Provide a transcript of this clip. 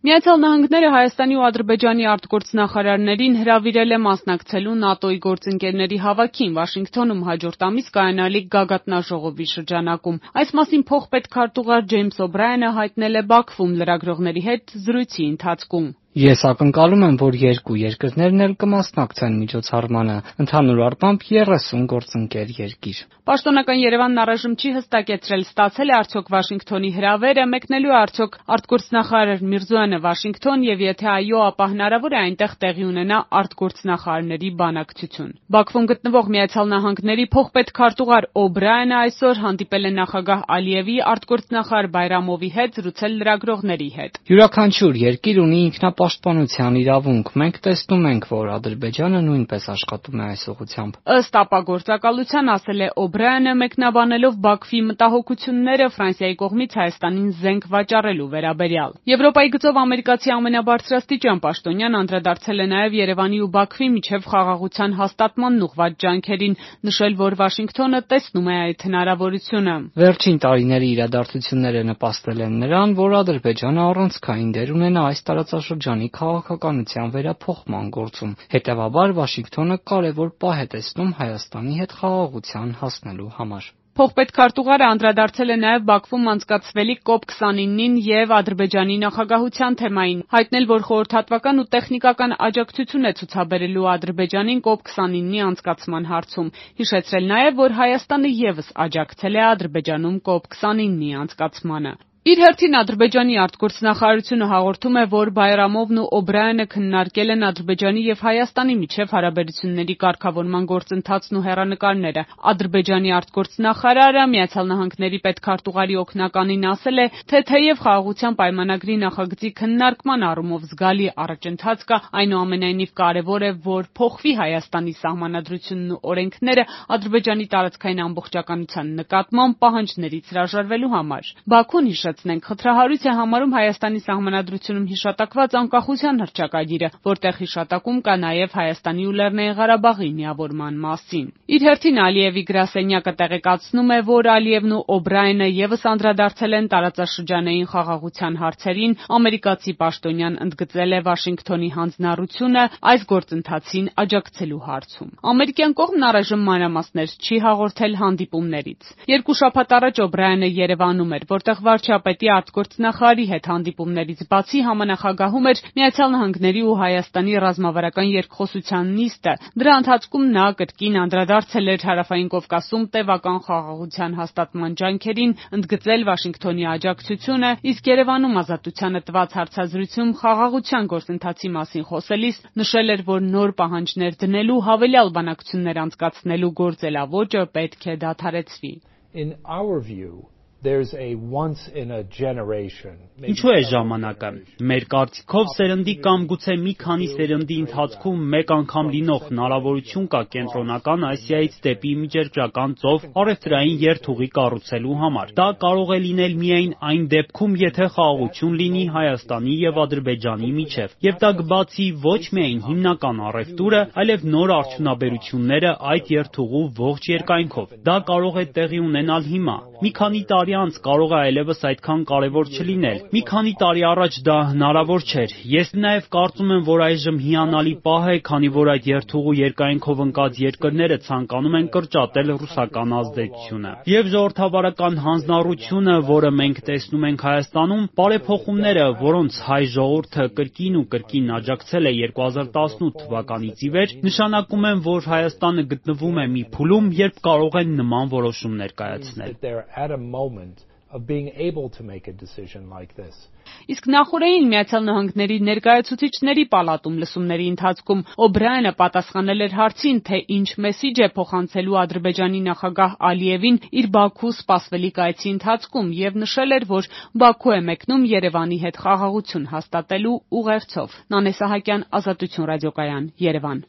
Միացյալ Նահանգները Հայաստանի ու Ադրբեջանի արտգործնախարարներին հրավիրել է մասնակցելու ՆԱՏՕ-ի գործընկերների հավաքին Վաշինգթոնում հաջորդ ամիս կայանալիք գագաթնաժողովի շրջանակում։ Այս մասին փոխպետքարտուղար Ջեյմս Օբրայենը հայտնել է Բաքվում լրագրողների հետ զրույցի ընթացքում։ Ես ակնկալում եմ, որ երկու երկրներն էլ կմասնակցեն միջոցառմանը, ընդհանուր առմամբ 30 գործընկեր երկիր։ Պաշտոնական Երևանն առայժմ չի հստակեցրել ստացել է արդյոք Վաշինգթոնի հրավերը, մեկնելու է արդյոք արտգործնախարար Միրզոյանը Վաշինգթոն եւ եթե այո, ապա հնարավոր է այնտեղ տեղի ունենա արտգործնախարարների բանակցություն։ Բաքվում գտնվող Միացյալ Նահանգների փոխպետքարտուղար Օբրայենը այսօր հանդիպել է նախագահ Ալիևի արտգործնախարար Բայրամովի հետ զրուցել լրագրողների հետ։ Յուրաքանչյուր երկիր ունի ինքնապաշտպանության իրավունք։ Մենք տեսնում ենք, որ Ադրբեջանը նույնպես աշխատում է այս ուղղությամբ։ Ըստ ապագործակալության, ասել է Օբրայենը, մեկնաբանելով Բաքվի մտահոգությունները Ֆրանսիայի կողմից Հայաստանին զենք վաճառելու վերաբերյալ։ Եվրոպայի գծով ամերիկացի ամենաբարձրաստիճան պաշտոնյան անդրադարձել է նաև Երևանի ու Բաքվի միջև խաղաղության հաստատմանն ուղղված ջանքերին, նշել, որ Վաշինգթոնը տեսնում է այդ հնարավորությունը։ Վերջին տարիների իրադարձությունները նպաստել են նրան, որ Ադրբեջանը առանցքային դեր ունենա այս տարածաշրջանի քաղաքականության վերափոխման գործում։ Հետևաբար Վաշինգթոնը կարևոր պահ է տեսնում Հայաստանի հետ խաղաղության հասնելու համար։ Փոխպետքարտուղարը անդրադարձել է նաև Բաքվում անցկացվելիք COP29-ին եւ Ադրբեջանի նախագահության թեմային, հայտնել, որ խորհրդատվական ու տեխնիկական աջակցություն է ցուցաբերելու Ադրբեջանին COP29-ի անցկացման հարցում, հիշեցրել նաև, որ Հայաստանը եւս աջակցել է Ադրբեջանում COP29-ի անցկացմանը։ Իր հերթին Ադրբեջանի արտգործնախարարությունը հաղորդում է, որ Բայրամովն ու Օբրայենը քննարկել են Ադրբեջանի եւ Հայաստանի միջև հարաբերությունների կարգավորման գործընթացն ու հեռանկարները։ Ադրբեջանի արտգործնախարարը Միացյալ Նահանգների պետքարտուղարի օգնականին ասել է, թե թեև խաղաղության պայմանագրի նախագծի քննարկման առումով զգալի առաջընթաց կա, այնուամենայնիվ կարևոր է, որ փոխվի Հայաստանի սահմանադրությունն ու օրենքները Ադրբեջանի տարածքային ամբողջականության նկատմամբ պահանջներից հրաժարվելու համար։ Բաքուն խնդրահարույց է համարում Հայաստանի սահմանադրությունում հիշատակված անկախության հռչակագիրը, որտեղ հիշատակում կա նաև Հայաստանի ու Լեռնային Ղարաբաղի միավորման մասին։ Իր հերթին Ալիևի գրասենյակը տեղեկացնում է, որ Ալիևն ու Օբրայենը եւս անդրադարձել են տարածաշրջանային խաղաղության հարցերին, ամերիկացի պաշտոնյան ընդգծել է Վաշինգթոնի հանձնառությունը այս գործընթացին աջակցելու հարցում։ Ամերիկյան կողմն առայժմ մանրամասներ չի հաղորդել հանդիպումներից։ Երկու շաբաթ առաջ Օբրայենը Երևանում էր, որտեղ վարչապետի արտգործնախարարի հետ հանդիպումներից բացի համանախագահում էր Միացյալ Նահանգների ու Հայաստանի ռազմավարական երկխոսության նիստը։ Դրա ընթացքում նա կրկին անդրադարձել էր Հարավային Կովկասում տևական խաղաղության հաստատման ջանքերին, ընդգծել Վաշինգթոնի աջակցությունը, իսկ Երևանում Ազատությանը տված հարցազրույցում խաղաղության գործընթացի մասին խոսելիս նշել էր, որ նոր պահանջներ դնելու, հավելյալ բանակցություններ անցկացնելու գործելավոճը պետք է դադարեցվի։ Ինչու է ժամանակը։ Մեր կարծիքով սերնդի կամ գուցե մի քանի սերնդի ընթացքում մեկ անգամ լինող հնարավորություն կա Կենտրոնական Ասիայից դեպի Միջերկրական ծով առևտրային երթուղի կառուցելու համար։ Դա կարող է լինել միայն այն դեպքում, եթե խաղաղություն լինի Հայաստանի եւ Ադրբեջանի միջև, եւ դա կբացի ոչ միայն հիմնական առևտուրը, այլև նոր արդյունաբերությունները այդ երթուղու ողջ երկայնքով։ Դա կարող է տեղի ունենալ հիմա։ Մի քանի տարի անց կարող է այլևս այդքան կարևոր չլինել։ Մի քանի տարի առաջ դա հնարավոր չէր։ Ես նաև կարծում եմ, որ այժմ հիանալի պահ է, քանի որ այդ երթուղու երկայնքով ընկած երկրները ցանկանում են կրճատել ռուսական ազդեցությունը։ Եվ ժողովրդավարական հանձնառությունը, որը մենք տեսնում ենք Հայաստանում, բարեփոխումները, որոնց հայ ժողովուրդը կրկին ու կրկին աջակցել է 2018 թվականից ի վեր, նշանակում են, որ Հայաստանը գտնվում է մի փուլում, երբ կարող են նման որոշումներ կայացնել։ Իսկ նախորդին Միացյալ Նահանգների ներկայացուցիչների պալատում լսումների ընթացքում Օբրայենը պատասխանել էր հարցին, թե ինչ մեսիջ է փոխանցելու Ադրբեջանի նախագահ Ալիևին իր Բաքու սպասվելիք այցի ընթացքում եւ նշել էր, որ Բաքու է մեկնում Երևանի հետ խաղաղություն հաստատելու ուղերձով։ Նանե Սահակյան, Ազատություն ռադիոկայան, Երևան։